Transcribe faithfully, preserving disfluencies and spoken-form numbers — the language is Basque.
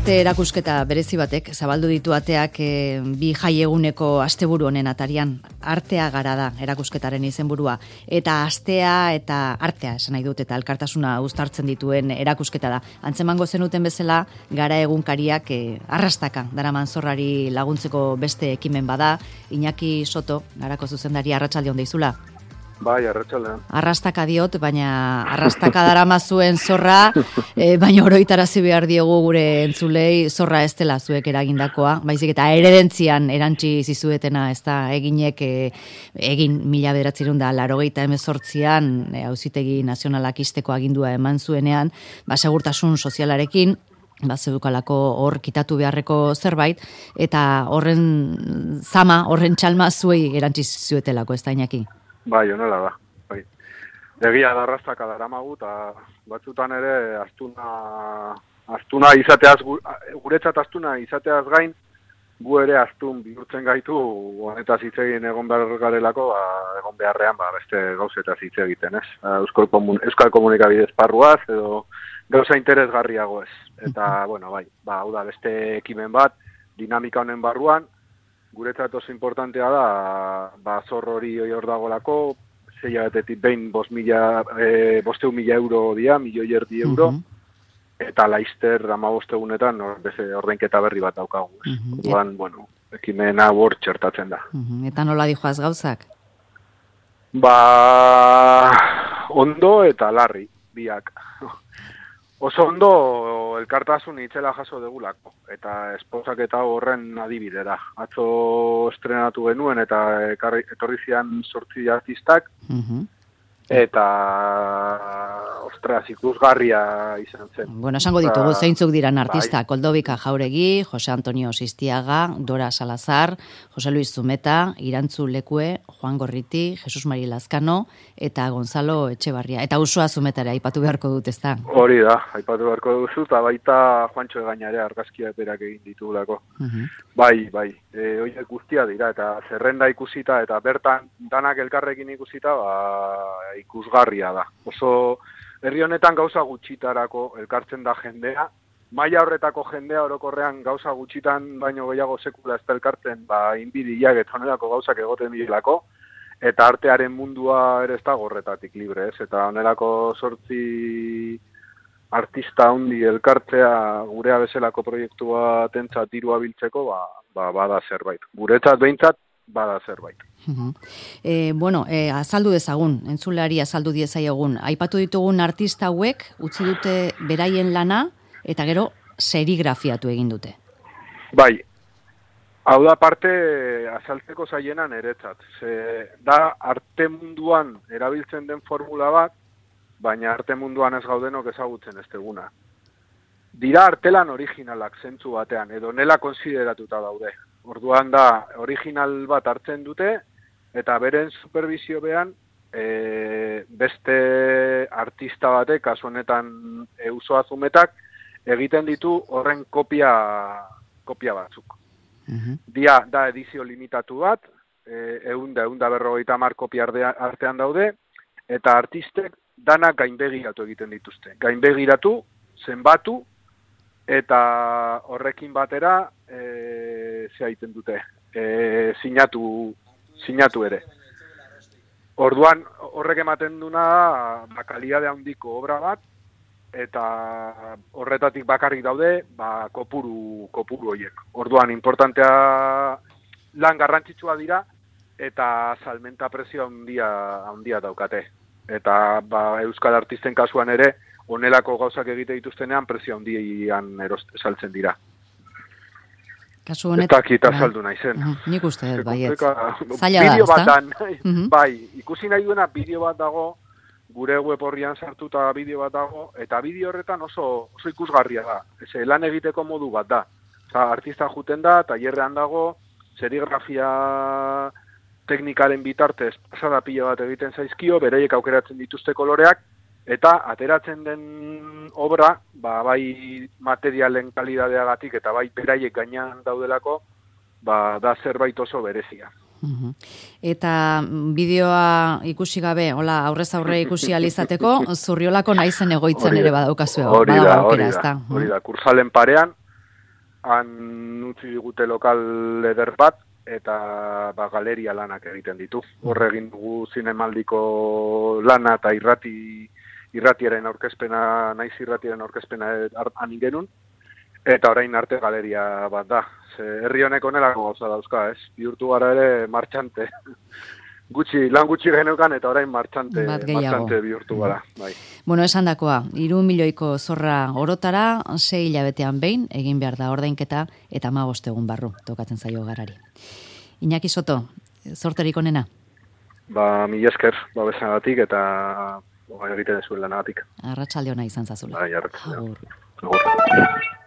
beste erakusketa berezi batek zabaldu ditu ateak e, bi jaieguneko asteburu honen atarian. Artea gara da erakusketaren izenburua, eta astea eta artea esan nahi dut, eta elkartasuna uztartzen dituen erakusketa da. Antzemango zenuten bezala, gara egunkariak e, arrastaka daraman zorrari laguntzeko beste ekimen bada. Iñaki Soto, garako zuzendari, arratsaldeon deizula. Bai, arratsaldean. Arrastaka diot, baina arrastaka darama zuen zorra, e, baina oroitarazi behar diogu gure entzulei zorra ez dela zuek eragindakoa, baizik eta eredentzian erantzi zizuetena, ez da, eginek e, egin mila bederatzerun da laurogeita hemezortzian e, Auzitegi Nazionalak ixteko agindua eman zuenean, ba, segurtasun sozialarekin, ba, zedukalako hor kitatu beharreko zerbait, eta horren zama, horren txalma zuei erantzi zuetelako, ez da, Iñaki? Bai, honela da. Bai. Egia da arrastaka daramagu, eta batzutan ere astuna, astuna izateaz, guretzat astuna izateaz gain, gu ere astun bihurtzen gaitu, honetaz hitz egin egon behar garelako, ba, egon beharrean ba, beste gauzetaz hitz egiten, ez? Euskal, komun, Euskal komunikabide esparruaz, edo gauza interesgarriago ez. Eta, bueno, bai, ba, hau da, beste ekimen bat, dinamika honen barruan, guretzat oso importantea da, ba, zorro hori hor dagolako, zei abetetik behin bost mila, e, bosteun mila euro dia, milioi erdi euro, uh-huh. Eta laizter ama bostegunetan ordainketa berri bat daukagu. Uh-huh. Duan, Et... bueno, ekimena hor txertatzen da. Uh-huh. Eta nola dijoaz gauzak? Ba, ondo eta larri, biak. Oso ondo elkartasun itzela jaso degulako, eta esposak eta horren adibide da. Atzo estrenatu genuen eta etorri zian zortzi artistak, uh-huh. Eta, ostras, ikusgarria izan zen. Bueno, esango ditugu, zeintzuk diran artistak, bai. Koldobika Jauregi, Jose Antonio Sistiaga, Dora Salazar, Jose Luis Zumeta, Irantzu Lekue, Juan Gorriti, Jesus Mari Lazkano, eta Gonzalo Etxebarria. Eta Usua Zumetara, aipatu beharko dut, ez da? Hori da, aipatu beharko duzu, eta baita Juantxo Egainare argazkia berak egin ditugulako. Uh-huh. Bai, bai, e, horiek guztia dira, eta zerrenda ikusita, eta bertan danak elkarrekin ikusita, ba, ikusgarria da. Oso herri honetan gauza gutxitarako elkartzen da jendea, maila horretako jendea orokorrean gauza gutxitan baino gehiago sekula ez da elkartzen, ba, inbidiak eta honelako gauzak egoten bilako, eta artearen mundua ere ez da gorretatik libre, ez? Eta honelako sortzi artista handi elkartzea gurea bezalako proiektu batentzat dirua biltzeko, ba, ba, bada zerbait. Guretzat behintzat, bada zerbait. Uh-huh. E, bueno, e, azaldu dezagun, entzulari azaldu diezaiogun. Aipatu ditugun artista hauek, utzi dute beraien lana, eta gero serigrafiatu egin dute. Bai, hau da parte azaltzeko zaiena niretzat. Ze, da arte munduan erabiltzen den formula bat, baina arte munduan ez gaudenok ezagutzen ez deguna. Dira artelan originalak zentzu batean, edo nela konsideratuta daude. Orduan da, original bat hartzen dute, eta beren supervisio behan, e, beste artista batek, kasu honetan e, Usua Zumetak, egiten ditu horren kopia, kopia batzuk. Uh-huh. Dia, da edizio limitatu bat, e, eunda, eunda berrogeita hamar kopia artean daude, eta artistek danak gainbegiratu egiten dituzte. Gainbegiratu, zenbatu, eta horrekin batera, e, ze egiten dute, e, sinatu, sinatu ere. Orduan, horrek ematen duna, ba, kalidade handiko obra bat, eta horretatik bakarrik daude, ba, kopuru, kopuru horiek. Orduan, importantea lan garrantzitsua dira, eta salmenta prezio handia, handia daukate. Eta ba, euskal artisten kasuan ere, honelako gauzak egite dituztenean, prezio handian erost, saltzen dira. Kasu honet... Eta kita saldu nahi zen. Uh-huh. Nik uste dut, baiet. Zaila da, ez da? Uh-huh. Bai, ikusi nahi duena bideo bat dago, gure web horrian sartuta bideo bat dago, eta bideo horretan oso, oso ikusgarria da. Eze, lan egiteko modu bat da. Oza, artista juten da, tailerrean dago, serigrafia teknikaren bitartez pasada pila bat egiten zaizkio, beraiek aukeratzen dituzte koloreak, eta ateratzen den obra, ba, bai materialen kalidadeagatik eta bai beraiek gainean daudelako, ba, da zerbait oso berezia. Uh-huh. Eta bideoa ikusi gabe, hola, aurrez aurre ikusi alizateko, Zurriolako naizen egoitzen ere badaukazue. Hori da, hori da, hori da, Kursalen parean, han utzi digute lokal eder bat, eta ba, galeria lanak egiten ditu. Horre egin dugu zinemaldiko lana eta irrati, irratiaren aurkezpena, naiz irratiaren aurkezpena han genuen, eta orain arte galeria bat da. Ze herri honek onelako gauza dauzka, ez? Bihurtu gara ere martxante. Gutxi, lan gutxi geneukan eta orain martxante, martxante bihurtu gara. Bai. Bueno, esan dakoa, iru milioiko zorra orotara, sei hilabetean behin, egin behar da ordainketa, eta hamabost egun barru, tokatzen zaio garari. Iñaki Soto, zorterik onena? Ba, mila esker, babesanagatik eta egiten zuen lanagatik. Arratsalde ona izan zazula. Bai, arratsalde. Agur. Agur.